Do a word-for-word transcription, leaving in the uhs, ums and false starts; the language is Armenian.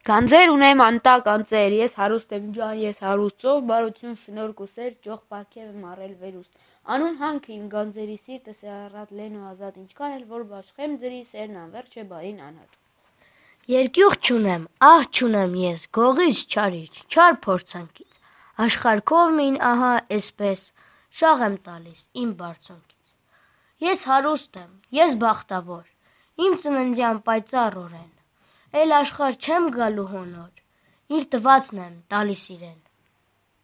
Գանձեր ունեմ անտակ անձեր, ես հարուստ եմ ջան, ես հարուստ ծով, բարություն շնորհք ու սեր, ճոխ պարգև եմ առել վերուստ։ Անուն հանքը իմ գանձերի սիրտը սերառատ լեն ու ազատ, ինչքան էլ որ բաշխեմ ձրի սերն անվերջ է բարին անհատ։ Երկյուղ չունեմ, ահ չունեմ ես, գողից չարիչ, չար փորձանքից, աշխարհքով մին ահա էսպես, շաղ եմ տալիս իմ բարձունքից։ Ես հարուստ եմ, ես բախտավոր, իմ ծննդյան պայծառ օրեն, էլ աշխարհ չեմ գալու հոնոր, իր տվածն եմ տալիս իրեն,